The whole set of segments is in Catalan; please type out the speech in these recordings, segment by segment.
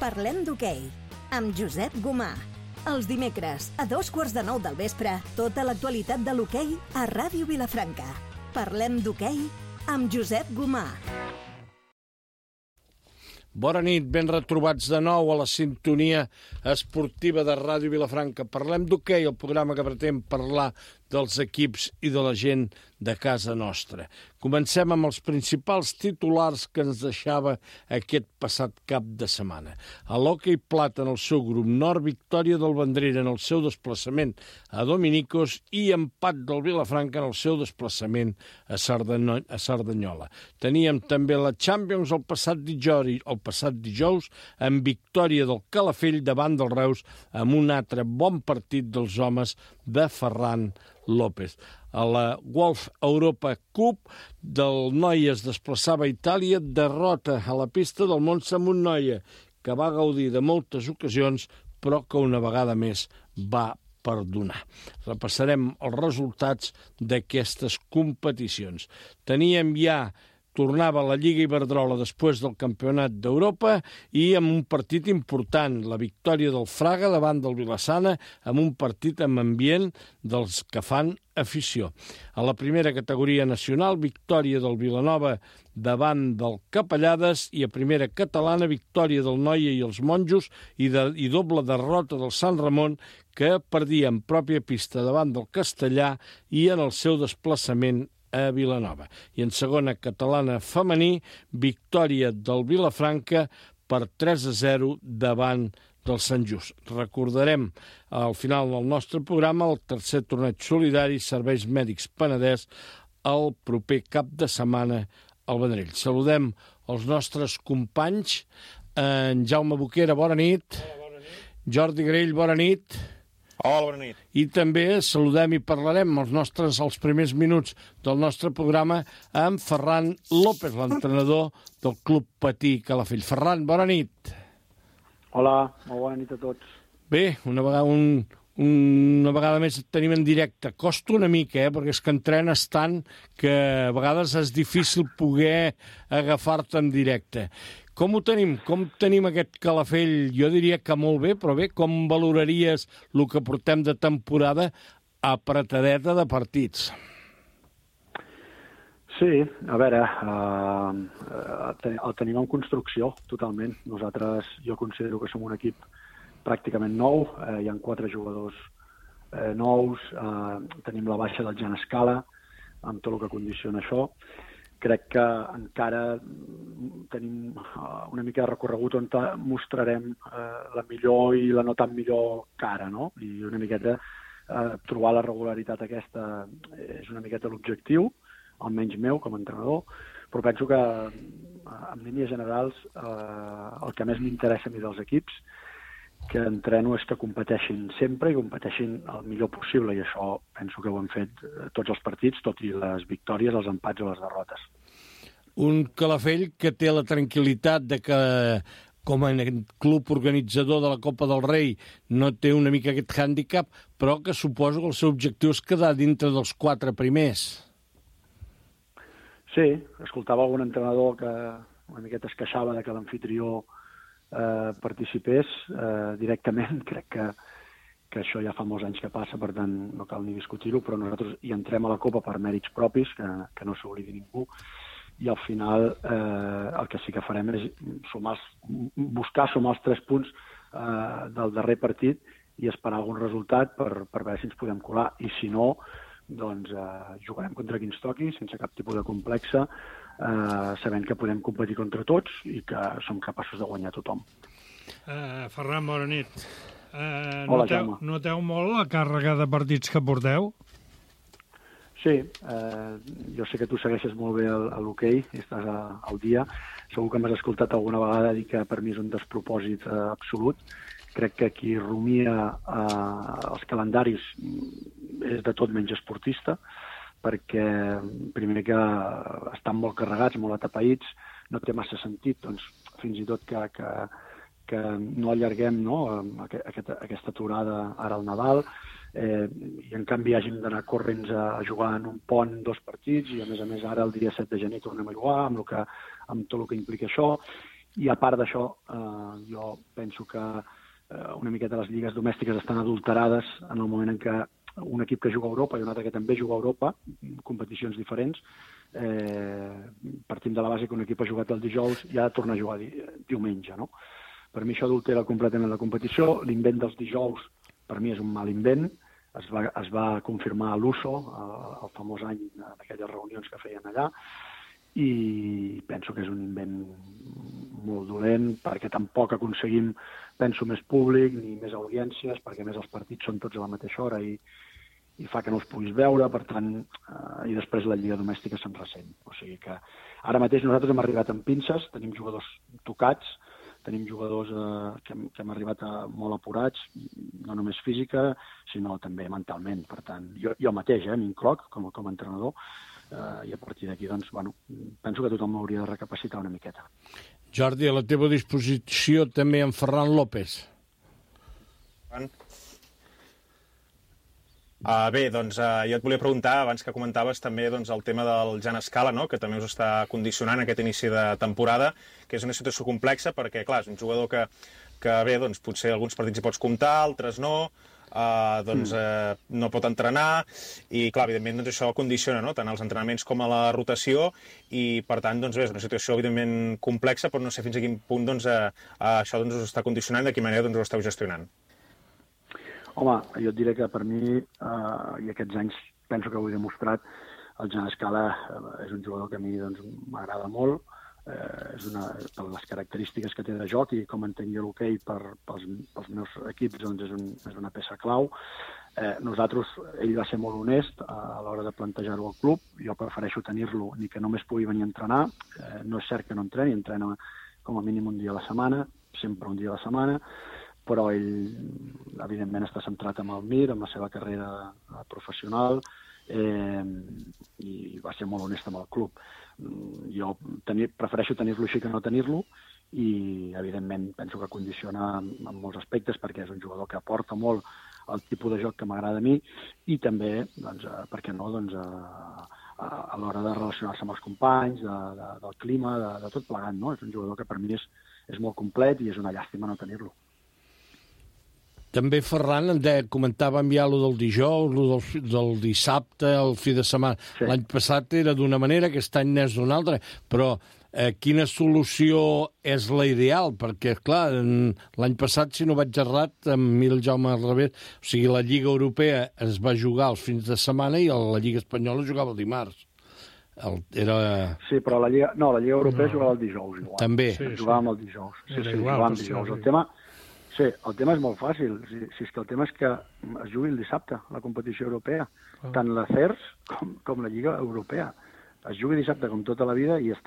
Parlem d'hoquei, amb Josep Gomà. Els dimecres, a 8:45 del vespre, tota l'actualitat de l'hoquei a Ràdio Vilafranca. Parlem d'hoquei amb Josep Gomà. Bona nit, ben retrobats de nou a la sintonia esportiva de Ràdio Vilafranca. Parlem d'hoquei, el programa que pretén parlar dels equips i de la gent de casa nostra. Comencem amb els principals titulars que ens deixava aquest passat cap de setmana. A l'hoquei plata en el seu grup nord, victòria del Vendrell en el seu desplaçament a Dominicos i empat del Vilafranca en el seu desplaçament a Cerdanyola. Teníem també la Champions el passat dijous amb victòria del Calafell davant del Reus amb un altre bon partit dels homes de Ferran López. A la Golf Europa Cup del Noia es desplaçava a Itàlia, derrota a la pista del Monza amb un Noia que va gaudir de moltes ocasions però que una vegada més va perdonar. Repassarem els resultats d'aquestes competicions. Tornava a la Lliga Iberdrola després del Campionat d'Europa i amb un partit important, la victòria del Fraga davant del Vilassana, amb un partit amb ambient dels que fan afició. A la primera categoria nacional, victòria del Vilanova davant del Capellades i a primera catalana, victòria del Noia i els Monjos i doble derrota del Sant Ramon que perdia en pròpia pista davant del Castellà i en el seu desplaçament a Vilanova. I en segona catalana femení, victòria del Vilafranca per 3-0 davant del Sant Just. Recordarem al final del nostre programa el tercer torneig solidari Serveis Mèdics Penedès el proper cap de setmana al Vendrell. Saludem els nostres companys. En Jaume Boquera, bona nit. Hola, bona nit. Jordi Grell, bona nit. Hola, bona nit. I també saludem i parlarem els primers minuts del nostre programa amb Ferran López, l'entrenador del Club Patí Calafell. Ferran, bona nit. Hola, molt bona nit a tots. Bé, una vegada més et tenim en directe. Costa una mica, perquè és que entrenes tant que a vegades és difícil poder agafar-te en directe. Com ho tenim? Com tenim aquest Calafell? Jo diria que molt bé, però bé, com valoraries el que portem de temporada apretadeta de partits? Sí, a veure, el tenim en construcció, totalment. Nosaltres, jo considero que som un equip pràcticament nou, hi ha 4 jugadors nous, tenim la baixa del Jan Escala, amb tot el que condiciona això. Crec que encara tenim una mica de recorregut on mostrarem la millor i la no tan millor cara, no? I una miqueta trobar la regularitat aquesta és una miqueta l'objectiu, almenys meu com a entrenador, però penso que en línies generals el que més m'interessa a mi dels equips que entreno és que competeixin sempre i competeixin el millor possible, i això penso que ho hem fet tots els partits, tot i les victòries, els empats o les derrotes. Un Calafell que té la tranquil·litat de que, com a club organitzador de la Copa del Rei, no té una mica aquest hàndicap, però que suposo que el seu objectiu és quedar dintre dels 4 primers. Sí, escoltava algun entrenador que una miqueta es queixava de que l'amfitrió participés directament. Crec que això ja fa molts anys que passa, per tant no cal ni discutir-ho, però nosaltres hi entrem a la Copa per mèrits propis, que no s'oblidi ningú, i al final el que sí que farem és buscar sumar els 3 punts del darrer partit i esperar algun resultat per veure si ens podem colar, i si no, doncs jugarem contra qui ens toqui, sense cap tipus de complexa, sabent que podem competir contra tots i que som capaços de guanyar tothom. Ferran, bona nit. Hola, Jaume. Noteu molt la càrrega de partits que porteu? Sí, jo sé que tu segueixes molt bé l'hoquei i estàs al dia. Segur que m'has escoltat alguna vegada dir que per mi és un despropòsit absolut. Crec que qui rumia els calendaris és de tot menys esportista, perquè primer que estan molt carregats, molt atapeïts, no té massa sentit, doncs, fins i tot que no allarguem aquesta aturada ara al Nadal, i en canvi hàgim d'anar corrents a jugar en un pont 2 partits, i a més ara el dia 7 de gener tornem a jugar amb tot el que implica això. I a part d'això, Jo penso que una miqueta les lligues domèstiques estan adulterades en el moment en què un equip que juga a Europa i un altre que també juga a Europa, competicions diferents, partim de la base que un equip ha jugat el dijous i ha de tornar a jugar diumenge, no? Per mi això adultera completament la competició. L'invent dels dijous, per mi, és un mal invent. Es va confirmar a l'USO, el famós any d'aquelles reunions que feien allà, i penso que és un invent molt dolent, perquè tampoc aconseguim, penso, més públic ni més audiències, perquè més els partits són tots a la mateixa hora i fa que no els puguis veure, per tant, i després la lliga domèstica se'n ressent. O sigui que ara mateix nosaltres hem arribat amb pinces, tenim jugadors tocats, tenim jugadors que hem arribat molt apurats, no només física, sinó també mentalment. Per tant, jo mateix m'incloc com a entrenador, i a partir d'aquí, doncs, bueno, penso que tothom hauria de recapacitar una miqueta. Jordi, a la teva disposició també en Ferran López. Bé, doncs jo et volia preguntar, abans que comentaves també doncs, el tema del Jan Scala, no?, que també us està condicionant aquest inici de temporada, que és una situació complexa perquè, clar, és un jugador que bé, doncs, potser alguns partits hi pots comptar, altres no, no pot entrenar i, clar, evidentment, doncs, això condiciona, no?, tant als entrenaments com a la rotació i, per tant, doncs, bé, és una situació, evidentment, complexa, però no sé fins a quin punt doncs, això doncs, us està condicionant i de quina manera doncs, ho esteu gestionant. Home, jo et diré que per mi, i aquests anys penso que ho he demostrat, el Jan Scala és un jugador que a mi doncs, m'agrada molt, per les característiques que té de joc i com entenc jo l'hoquei pels meus equips doncs és una peça clau. Nosaltres, ell va ser molt honest a l'hora de plantejar-ho al club, jo prefereixo tenir-lo ni que només pugui venir a entrenar, no és cert que no entreni, entrena com a mínim un dia a la setmana, sempre un dia a la setmana, però ell, evidentment, està centrat en el MIR, en la seva carrera professional, i va ser molt honest amb el club. Jo prefereixo tenir-lo així que no tenir-lo, i, evidentment, penso que condiciona en molts aspectes, perquè és un jugador que aporta molt el tipus de joc que m'agrada a mi, i també, doncs, per què no, doncs, a l'hora de relacionar-se amb els companys, del clima, de tot plegat, no? És un jugador que per mi és molt complet i és una llàstima no tenir-lo. També Ferran comentava ja allò del dijous, del dissabte, el fi de setmana. Sí. L'any passat era d'una manera, aquest any n'és d'una altra, però quina solució és la ideal? Perquè, clar, l'any passat, si no vaig errat, amb el Jaume al revés, o sigui, la Lliga Europea es va jugar els fins de setmana i la Lliga Espanyola jugava el dimarts. Sí, però la Lliga Europea jugava el dijous. Igual. També. Jugàvem el dijous. Sí, jugàvem el dijous. El tema és molt fàcil. Si és que el tema és que es jugui el dissabte, la competició europea. Tant la CERS com la Lliga Europea. Es jugui dissabte com tota la vida i es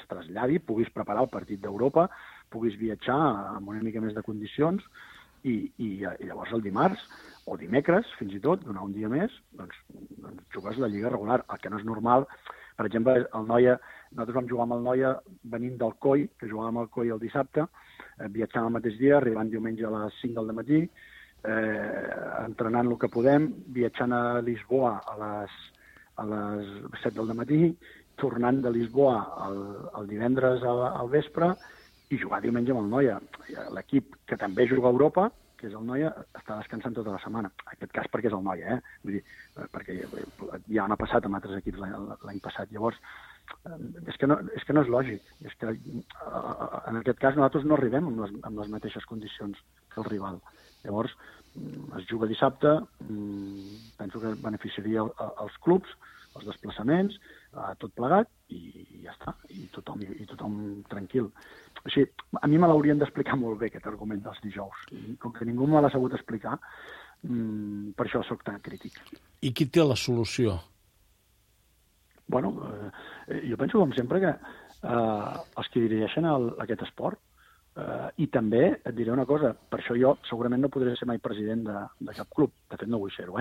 traslladi, puguis preparar el partit d'Europa, puguis viatjar amb una mica més de condicions i llavors el dimarts o dimecres, fins i tot, donar un dia més, doncs jugues la Lliga regular. El que no és normal, per exemple, nosaltres vam jugar amb el Noia venint del COI, que jugàvem al COI el dissabte, viatjant el mateix dia, arribant diumenge a les 5 del matí, entrenant el que podem, viatjant a Lisboa a les 7 del matí, tornant de Lisboa el divendres al vespre i jugar diumenge amb el Noia. L'equip que també juga a Europa, que és el Noia, està descansant tota la setmana. En aquest cas perquè és el Noia, Vull dir, perquè ja m'ha passat amb altres equips l'any passat. Llavors, és que no és lògic. És que, en aquest cas, nosaltres no arribem amb les mateixes condicions que el rival. Llavors, es juga dissabte, penso que beneficiaria els clubs, els desplaçaments, tot plegat, i ja està, i tothom tranquil. O sigui, a mi me l'haurien d'explicar molt bé, aquest argument dels dijous. I com que ningú me l'ha sabut explicar, per això sóc tan crític. I qui té la solució? Bueno, jo penso, com sempre, que els que dirigeixen aquest esport, i també et diré una cosa, per això jo segurament no podré ser mai president de cap club, de fet no vull ser-ho,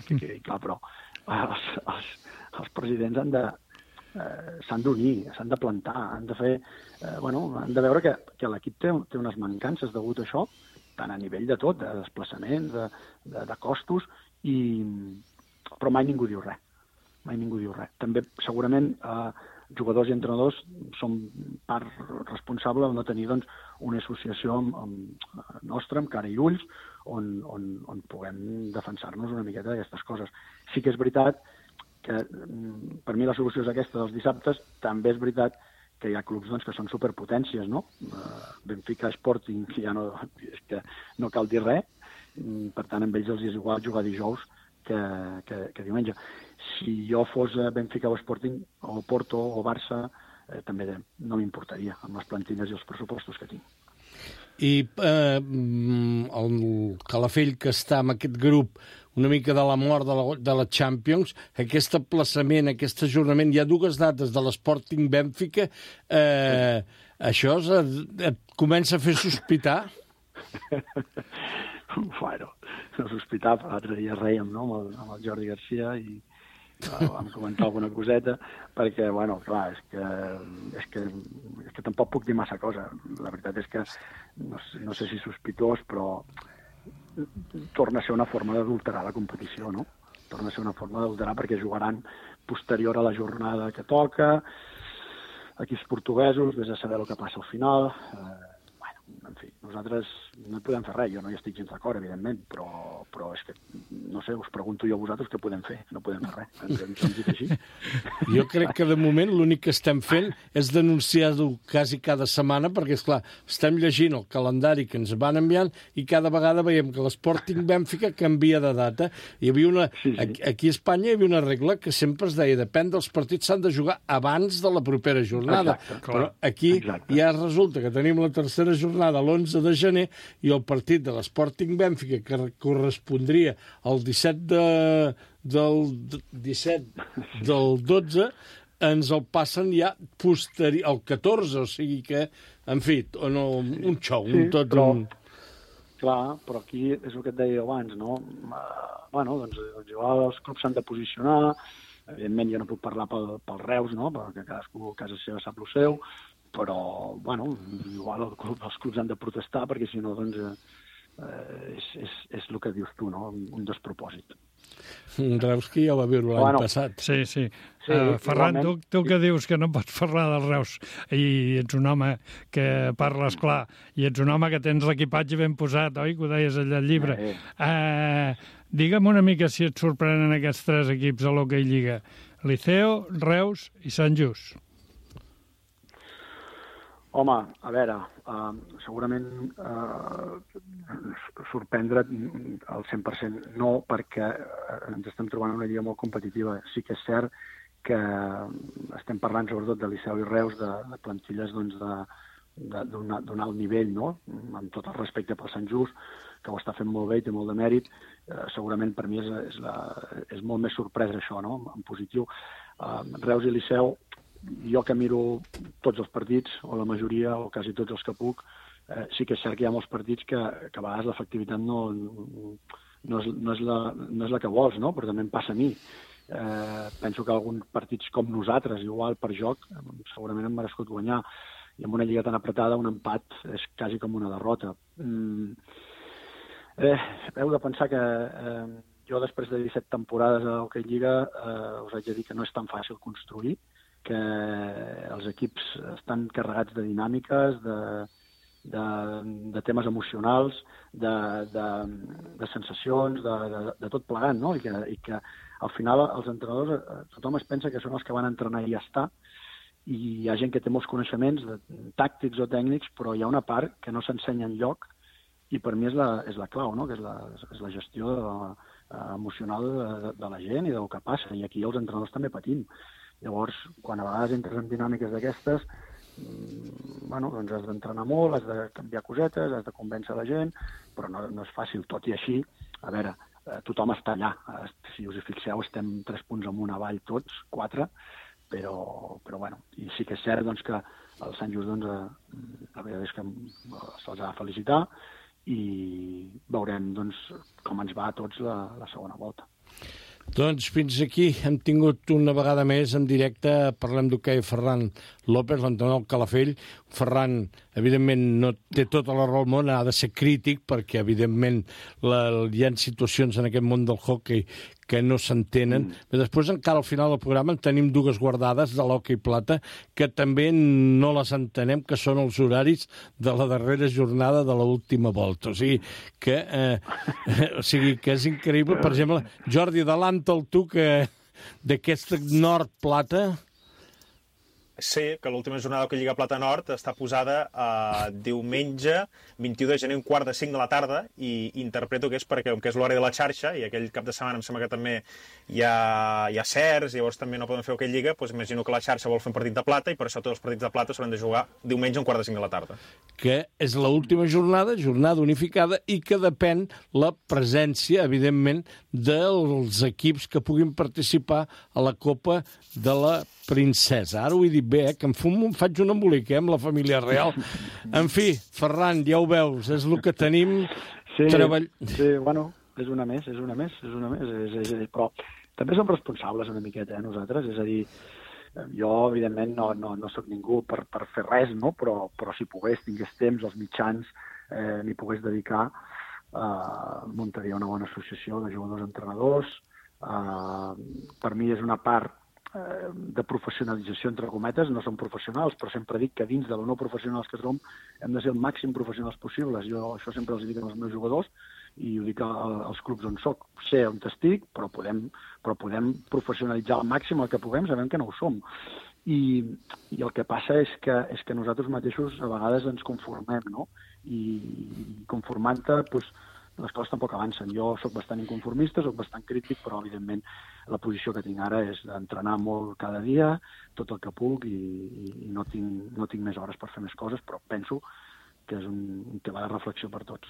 que quedi clar, però els presidents s'han d'unir, s'han de plantar, han de fer, han de veure que l'equip té unes mancances degut a això, tant a nivell de tot, de desplaçaments, de costos, però mai ningú diu res. Mai ningú diu res. També segurament jugadors i entrenadors som part responsable de no tenir doncs, una associació nostra, amb cara i ulls, on puguem defensar-nos una miqueta d'aquestes coses. Sí que és veritat que per mi la solució és aquesta dels dissabtes. També és veritat que hi ha clubs doncs, que són superpotències, no? Benfica, Sporting, ja no, és que no cal dir res. Per tant, amb ells els és igual jugar dijous que diumenge. Si jo fos Benfica o Sporting, o Porto o Barça, també no m'importaria amb les plantilles i els pressupostos que tinc. I el Calafell, que està en aquest grup una mica de la mort de la Champions, aquest aplaçament, aquest ajornament, hi ha 2 dates de l'Sporting Benfica, això et comença a fer sospitar? Bueno, no sospitar, l'altre dia rèiem, no?, amb el Jordi Garcia i vam comentar alguna coseta, perquè, bueno, clar, és que tampoc puc dir massa cosa. La veritat és que no sé si sospitós, però torna a ser una forma d'adulterar la competició, no? Torna a ser una forma d'adulterar perquè jugaran posterior a la jornada que toca, equips portuguesos, vés a saber el que passa al final. En fi, nosaltres no podem fer res, jo no hi estic gens d'acord, evidentment, però és que, no sé, us pregunto jo a vosaltres què podem fer, no podem fer res, ens hem dit així. Jo crec que de moment l'únic que estem fent és denunciar-ho quasi cada setmana, perquè, esclar, estem llegint el calendari que ens van enviant i cada vegada veiem que l'Sporting Benfica canvia de data. Hi havia una... Sí. Aquí a Espanya hi havia una regla que sempre es deia, depèn dels partits, s'han de jugar abans de la propera jornada. Exacte, però aquí ja resulta que tenim la tercera jornada l'11 de gener i el partit de l'Sporting Benfica, que correspondria al 17 del 12, ens el passen ja al 14, o sigui que, en fi, un xou, Clar, però aquí és el que et deia abans, no? Bueno, doncs igual els clubs s'han de posicionar, evidentment jo no puc parlar pel Reus, no?, perquè cadascú a casa seva sap el seu, però, bueno, igual els clubs han de protestar, perquè si no, doncs, és el que dius tu, no?, un despropòsit. Reus que ja va viure l'any passat. Sí. Ferran, tu que dius que no pots parlar del Reus i ets un home que parles clar i ets un home que tens l'equipatge ben posat, oi? Que ho deies allà al llibre. Digue'm una mica si et sorprenen aquests 3 equips a l'Hockey Lliga. Liceo, Reus i Sant Just. Home, a veure, segurament sorprendre al 100% no, perquè ens estem trobant una lliga molt competitiva. Sí que és cert que estem parlant sobretot de Liceu i Reus, de plantilles doncs, d'un alt nivell, no? Amb tot el respecte pel Sant Just, que ho està fent molt bé i té molt de mèrit. Segurament per mi és molt més sorpresa això, no?, en positiu. Reus i Liceu, jo que miro tots els partits, o la majoria, o quasi tots els que puc, sí que és cert que hi ha molts partits que a vegades l'efectivitat no és la que vols, no? Però també em passa a mi. Penso que alguns partits com nosaltres, igual per joc, segurament hem merescut guanyar, i amb una lliga tan apretada, un empat és quasi com una derrota. Heu de pensar que jo, després de 17 temporades a l'Hockey Lliga, us haig de dir que no és tan fàcil construir, que els equips estan carregats de dinàmiques, de temes emocionals, de sensacions, de tot plegant, no? I que al final els entrenadors, tothom es pensa que són els que van entrenar i ja està, i hi ha gent que té molts coneixements tàctics o tècnics, però hi ha una part que no s'ensenya enlloc, i per mi és la clau, no?, que és la gestió emocional de la gent i del que passa, i aquí els entrenadors també patim. Llavors, quan a vegades entres en dinàmiques d'aquestes, doncs has d'entrenar molt, has de canviar cosetes, has de convèncer la gent, però no és fàcil. Tot i així, a veure, tothom està allà. Si us hi fixeu, estem 3 punts amunt avall tots, 4, però bueno, i sí que és cert doncs, que el Sant Just, la veritat és que se'ls ha de felicitar i veurem doncs, com ens va a tots la segona volta. Doncs fins aquí hem tingut una vegada més en directe, parlem d'hoquei, Ferran López, l'entrenador del Calafell. Ferran, evidentment, no té tota la raó del món, ha de ser crític, perquè, evidentment, hi ha situacions en aquest món del hockey que no s'entenen. Després, encara al final del programa, en tenim dues guardades de l'hoquei plata que també no les entenem, que són els horaris de la darrera jornada de l'última volta. O sigui, que és increïble. Per exemple, Jordi, adelanta'l tu, que d'aquesta Nord-Plata... Sí, que l'última jornada que Lliga Plata Nord està posada diumenge 21 de gener, 4:45 de la tarda, i interpreto que és perquè, com que és l'hora de la xarxa, i aquell cap de setmana em sembla que també hi ha certs, llavors també no poden fer hoquei Lliga, doncs imagino que la xarxa vol fer un partit de plata, i per això tots els partits de plata s'hauran de jugar diumenge 4:45 de la tarda. Que és l'última jornada unificada, i que depèn la presència, evidentment, dels equips que puguin participar a la Copa de la Princesa. Ara ho he dit bé, que em faig un embolic amb la família real. En fi, Ferran, ja ho veus, és el que tenim. Sí, bueno, és una més. Però també som responsables una miqueta, nosaltres. És a dir, jo, evidentment, no sóc ningú per fer res, no? Però si pogués, tingués temps, els mitjans, m'hi pogués dedicar, muntaria una bona associació de jugadors-entrenadors. Per mi és una part de professionalització, entre cometes. No som professionals, però sempre dic que dins de lo no professionals que som hem de ser el màxim professionals possibles. Jo això sempre els dic als meus jugadors i ho dic als clubs on soc. Sé on estic, però podem professionalitzar al màxim el que puguem, sabem que no ho som. I el que passa és que nosaltres mateixos a vegades ens conformem, no? I conformant-te, doncs, les coses tampoc avancen. Jo sóc bastant inconformista, sóc bastant crític, però, evidentment, la posició que tinc ara és d'entrenar molt cada dia, tot el que puc, i no tinc més hores per fer més coses, però penso que és un tema de reflexió per tots.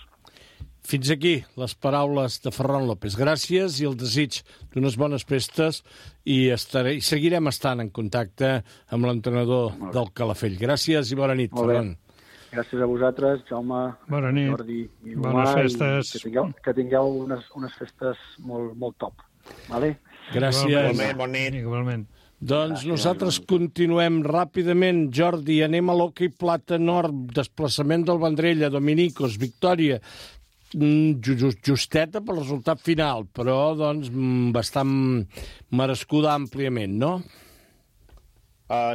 Fins aquí les paraules de Ferran López. Gràcies i el desig d'unes bones festes, i seguirem estant en contacte amb l'entrenador del Calafell. Gràcies i bona nit, Ferran. Gràcies a vosaltres, Jaume, bona nit. Jordi i bones festes. Que tingueu unes festes molt top. Vale? Gràcies. Bon nit. Igualment. Doncs nosaltres continuem ràpidament. Jordi, anem a l'hoquei plata nord, desplaçament del Vendrell a Dominicos, victòria justeta pel resultat final, però doncs bastant merescuda àmpliament, no?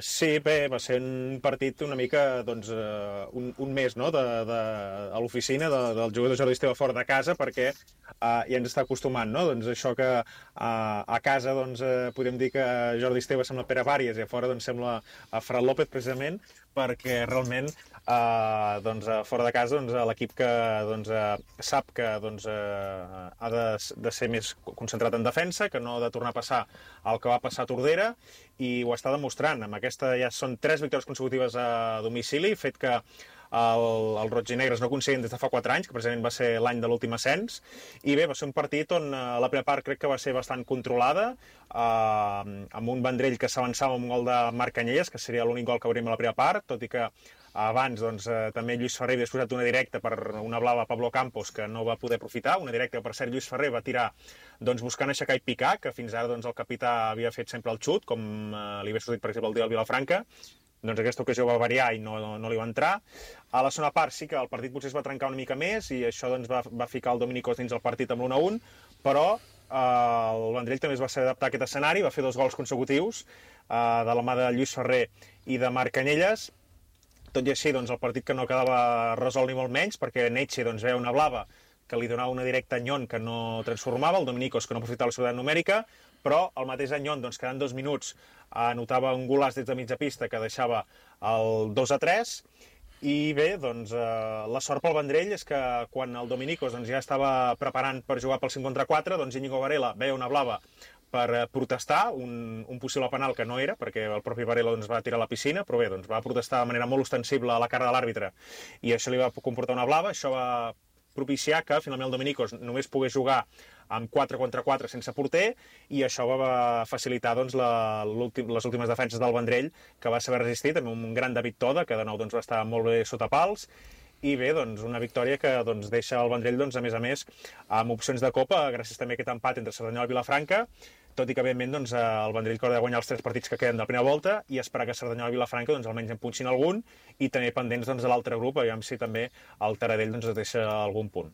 Sí, bé, va ser un partit una mica, doncs, un mes, no?, a l'oficina del jugador Jordi Esteve fora de casa, perquè ja ens està acostumant, no?, doncs això que a casa, doncs, podem dir que Jordi Esteve sembla Pere Pàries i a fora, doncs, sembla Ferran López, precisament, perquè realment, doncs, fora de casa, doncs, l'equip que, doncs, sap que, doncs, ha de ser més concentrat en defensa, que no ha de tornar a passar el que va passar a Tordera, i ho està demostrant. Amb aquesta ja són 3 victòries consecutives a domicili, fet que el Roig i Negres no aconseguien des de fa 4 anys, que precisament va ser l'any de l'últim ascens, i bé, va ser un partit on la primera part crec que va ser bastant controlada, amb un Vendrell que s'avançava amb un gol de Marc Canyelles, que seria l'únic gol que hauríem a la primera part, tot i que abans, doncs, també Lluís Ferrer havia exposat una directa per una blava a Pablo Campos, que no va poder aprofitar, una directa que, per cert, Lluís Ferrer va tirar, doncs, buscant aixecar i picar, que fins ara, doncs, el capità havia fet sempre el xut, com li havia sortit, per exemple, el dia del Vilafranca. Doncs aquesta ocasió va variar i no li va entrar. A la segona part sí que el partit potser es va trencar una mica més, i això, doncs, va ficar el Dominicos dins el partit amb l'1-1, però el Vendrell també es va saber adaptar a aquest escenari, va fer 2 gols consecutius de la mà de Lluís Ferrer i de Marc Canyelles. Tot i així, doncs, el partit que no quedava resolt ni molt menys, perquè Neche, doncs, veia una blava que li donava una directa a Nyon que no transformava, el Dominicos que no aprofitava la seguretat numèrica, però el mateix Nyon, doncs, quedant 2 minuts, anotava un golaç des de mitja pista que deixava el 2-3, i bé, doncs, la sort pel Vendrell és que quan el Dominicos, doncs, ja estava preparant per jugar pel 5 contra 4, doncs Íñigo Varela veia una blava per protestar, un possible penal que no era, perquè el propi Varela, doncs, va tirar a la piscina, però bé, doncs, va protestar de manera molt ostensible a la cara de l'àrbitre, i això li va comportar una blava. Això va propiciar que finalment el Dominicos només pogués jugar amb 4 contra 4 sense porter, i això va facilitar, doncs, les últimes defenses del Vendrell, que va saber resistir, també un gran David Toda, que de nou, doncs, va estar molt bé sota pals. I bé, doncs, una victòria que, doncs, deixa el Vendrell, doncs, a més, amb opcions de Copa, gràcies també a aquest empat entre Cerdanyola i Vilafranca, tot i que, evidentment, doncs, el Vendrell que haurà de guanyar els 3 partits que queden de la primera volta i esperar que Cerdanyola i Vilafranca doncs, almenys en punxin algun i tenir pendents doncs, de l'altre grup, aviam si també el Taradell doncs, deixa algun punt.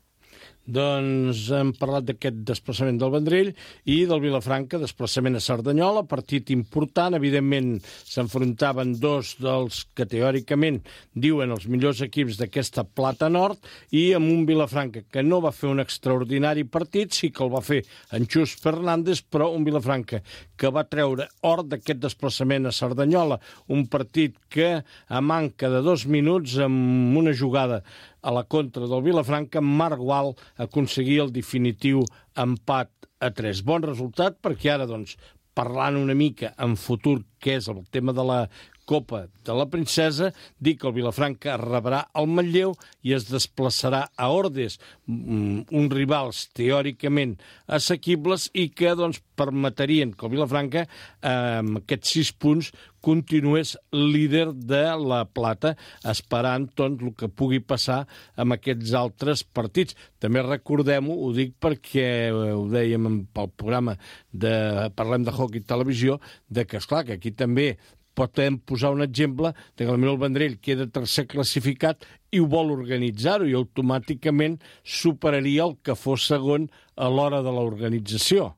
Doncs hem parlat d'aquest desplaçament del Vendrell i del Vilafranca, desplaçament a Cerdanyola, partit important. Evidentment, s'enfrontaven dos dels que teòricament diuen els millors equips d'aquesta Plata Nord i amb un Vilafranca que no va fer un extraordinari partit, sí que el va fer en Xus Fernández, però un Vilafranca que va treure or d'aquest desplaçament a Cerdanyola, un partit que a manca de 2 minuts, amb una jugada a la contra del Vilafranca, Marc Gual aconseguia el definitiu empat a 3. Bon resultat perquè ara, doncs, parlant una mica en futur, que és el tema de la Copa de la Princesa, dic que el Vilafranca rebrà el Manlleu i es desplaçarà a Ordes, uns rivals teòricament assequibles i que doncs, permetrien que el Vilafranca, amb aquests 6 punts, continués líder de la Plata, esperant doncs, el que pugui passar amb aquests altres partits. També recordem-ho, ho dic perquè ho dèiem pel programa de Parlem de Hockey Televisió, de que, esclar, que aquí també podem posar un exemple de que potser el Vendrell queda tercer classificat i ho vol organitzar-ho i automàticament superaria el que fos segon a l'hora de l'organització,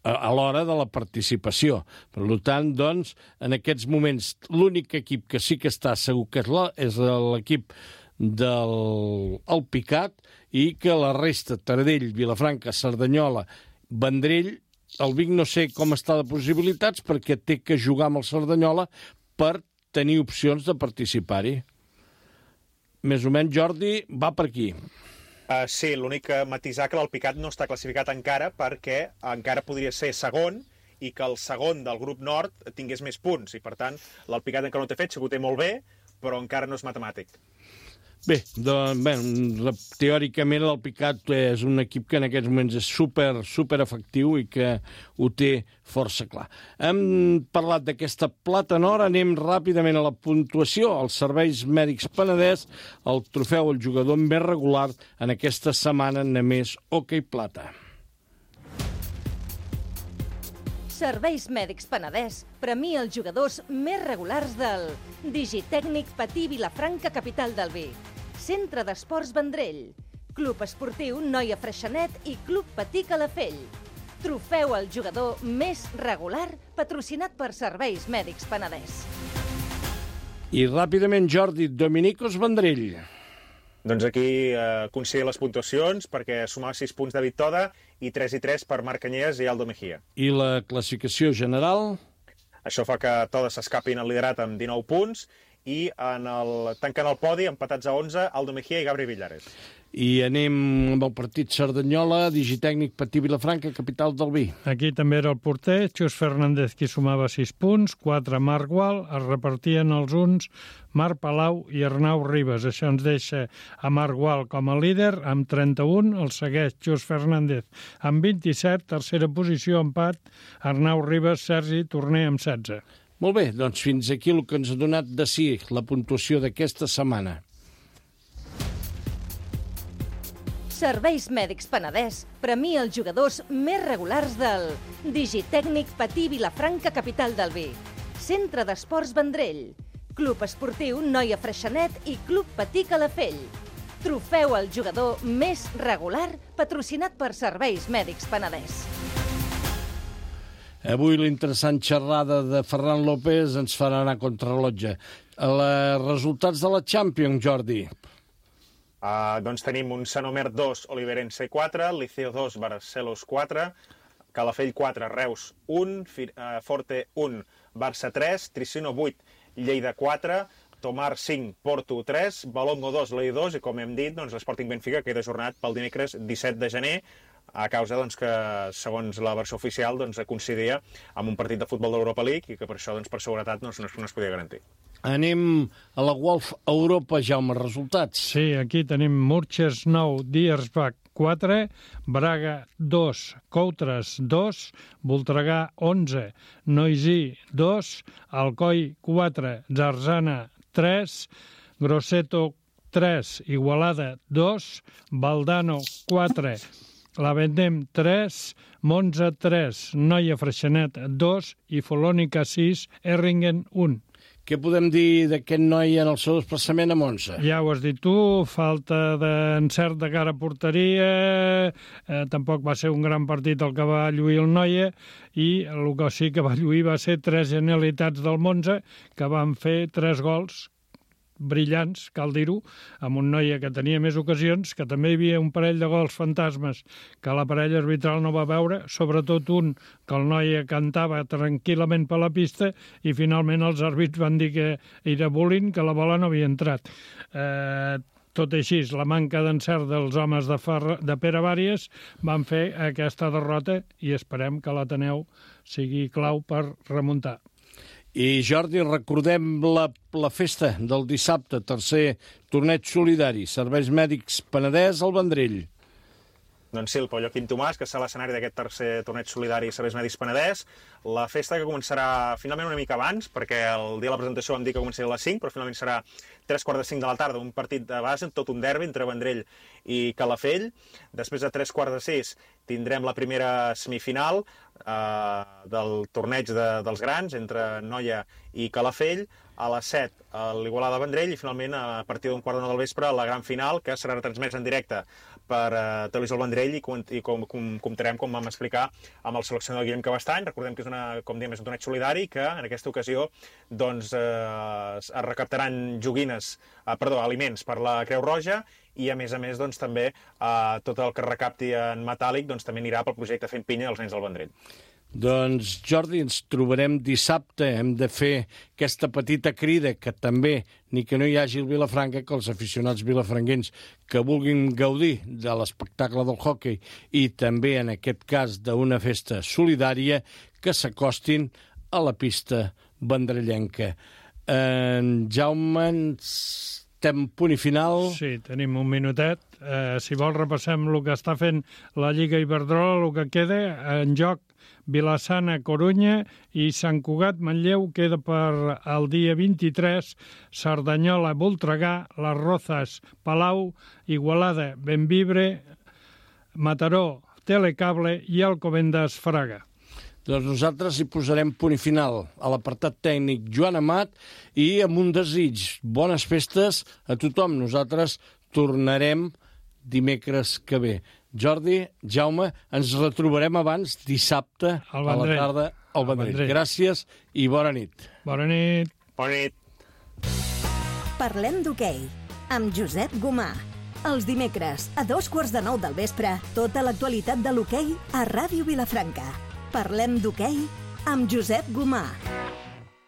a l'hora de la participació. Per tant, doncs, en aquests moments, l'únic equip que sí que està segur que és l'equip del Picat i que la resta, Taradell, Vilafranca, Cerdanyola, Vendrell, el Vic no sé com està de possibilitats perquè té que jugar amb el Cerdanyola per tenir opcions de participar-hi. Més o menys, Jordi, va per aquí. Sí, l'únic que matisar que l'Alpicat no està classificat encara perquè encara podria ser segon i que el segon del grup nord tingués més punts i, per tant, l'Alpicat encara no té fet, sí que ho té molt bé, però encara no és matemàtic. Bé, doncs, teòricament l'Alpicat és un equip que en aquests moments és super efectiu i que ho té força clar. Hem parlat d'aquesta Plata Nord, anem ràpidament a la puntuació. Els Serveis Mèdics Penedès, el trofeu al jugador més regular en aquesta setmana només Hockey Plata. Serveis Mèdics Penedès premia els jugadors més regulars del Digitècnic Patí Vilafranca, capital del Vic, Centre d'Esports Vendrell, Club Esportiu Noia Freixenet i Club Patí Calafell. Trofeu al jugador més regular patrocinat per Serveis Mèdics Penedès. I ràpidament, Jordi, Dominicos Vendrell. Doncs aquí considera les puntuacions perquè sumava 6 punts David Toda i 3 per Marc Canyelles i Aldo Mejía. I la classificació general? Això fa que Toda s'escapi en el liderat amb 19 punts i tancant el podi, empatats a 11, Aldo Mejía i Gabri Villares. I anem amb el partit Cerdanyola, Digitècnic Patí Vilafranca, capital del Vi. Aquí també era el porter, Xus Fernández, qui sumava 6 punts, 4 Marc Gual, es repartien els uns Marc Palau i Arnau Ribas. Això ens deixa a Marc Gual com a líder, amb 31, el segueix Xus Fernández amb 27, tercera posició, empat, Arnau Ribas, Sergi Torner amb 16. Molt bé, doncs fins aquí el que ens ha donat de si la puntuació d'aquesta setmana. Serveis Mèdics Penedès premia els jugadors més regulars del Digitècnic Patí Vilafranca, capital del Vic, Centre d'Esports Vendrell, Club Esportiu Noia Freixenet i Club Patí Calafell. Trofeu al jugador més regular patrocinat per Serveis Mèdics Penedès. Avui l'interessant xerrada de Ferran López ens farà anar contra rellotge. Els resultats de la Champions, Jordi. Doncs tenim un Sanomer 2, Oliverense 4, Liceo 2, Barcelos 4, Calafell 4, Reus 1, Forte 1, Barça 3, Tricino 8, Lleida 4, Tomar 5, Porto 3, Balongo 2, Lei 2 i, com hem dit, doncs, l'Sporting Benfica queda ajornat pel dimecres 17 de gener a causa doncs, que, segons la versió oficial, doncs, coincidia amb un partit de futbol de l'Europa League i que per això, doncs, per seguretat, no es podia garantir. Anem a la Wolf Europa, Jaume, resultats. Sí, aquí tenim Murches 9, Diersbach 4, Braga 2, Coutres 2, Voltregà 11, Noisy 2, Alcoi 4, Zarzana 3, Grosseto 3, Igualada 2, Valdano 4, la Vendem 3, Monza 3, Noia Freixenet 2 i Folònica 6, Erringen 1. Què podem dir d'aquest noi en el seu desplaçament a Monza? Ja ho has dit tu, falta d'encert de cara a porteria, tampoc va ser un gran partit el que va lluir el Noia, i el que sí que va lluir va ser 3 genialitats del Monza, que van fer 3 gols brillants, cal dir-ho, amb un Noia que tenia més ocasions, que també hi havia un parell de gols fantasmes que la parella arbitral no va veure, sobretot un que el Noia cantava tranquil·lament per la pista i finalment els àrbits van dir que era bullying, que la bola no havia entrat. Tot així, la manca d'encert dels homes de Pere Bàries van fer aquesta derrota i esperem que l'Ateneu sigui clau per remuntar. I Jordi, recordem la festa del dissabte, tercer torneig solidari, Serveis Mèdics Penedès al Vendrell. Doncs sí, el Pau Joaquim Tomàs, que serà l'escenari d'aquest tercer torneig solidari Serveis Mèdics Penedès. La festa que començarà finalment una mica abans, perquè el dia de la presentació vam dir que començaria a les 5, però finalment serà 3:45 de la tarda, un partit de base, tot un derbi entre Vendrell i Calafell. Després de 3:45 tindrem la primera semifinal del torneig dels grans entre Noia i Calafell. A les 7 a l'Igualada-Vendrell i finalment a partir d'un 8:45 del vespre la gran final, que serà retransmesa en directe per Televisió del Vendrell i comptarem, com vam explicar, amb el seleccionador Guillem Cabestany. Recordem que és com diem, és un torneig solidari que en aquesta ocasió doncs, es recaptaran aliments per la Creu Roja i a més doncs, també tot el que recapti en metàl·lic doncs, també anirà pel projecte Fent Pinya dels nens del Vendrell. Doncs, Jordi, ens trobarem dissabte. Hem de fer aquesta petita crida que també, ni que no hi hagi el Vilafranca, que els aficionats vilafranquenys que vulguin gaudir de l'espectacle del hoquei i també, en aquest cas, d'una festa solidària, que s'acostin a la pista vendrellenca. Jaume, estem punt i final. Sí, tenim un minutet. Si vols repassem el que està fent la Lliga Iberdrola, el que queda en joc Vilassana, Corunya i Sant Cugat, Manlleu, queda per el dia 23, Cerdanyola, Voltregà, Les Rozas, Palau, Igualada, Benvibre, Mataró, Telecable i Alcobendas, Fraga. Doncs nosaltres hi posarem punt i final a l'apartat tècnic Joan Amat i amb un desig. Bones festes a tothom. Nosaltres tornarem dimecres que ve. Jordi, Jaume, ens retrobarem abans dissabte a la tarda al Vendrell. Gràcies i bona nit. Bona nit. Bona nit. Parlem d'hoquei amb Josep Gomà. Els dimecres a 2:15 del vespre, tota l'actualitat de l'hoquei a Ràdio Vilafranca. Parlem d'hoquei amb Josep Gomà.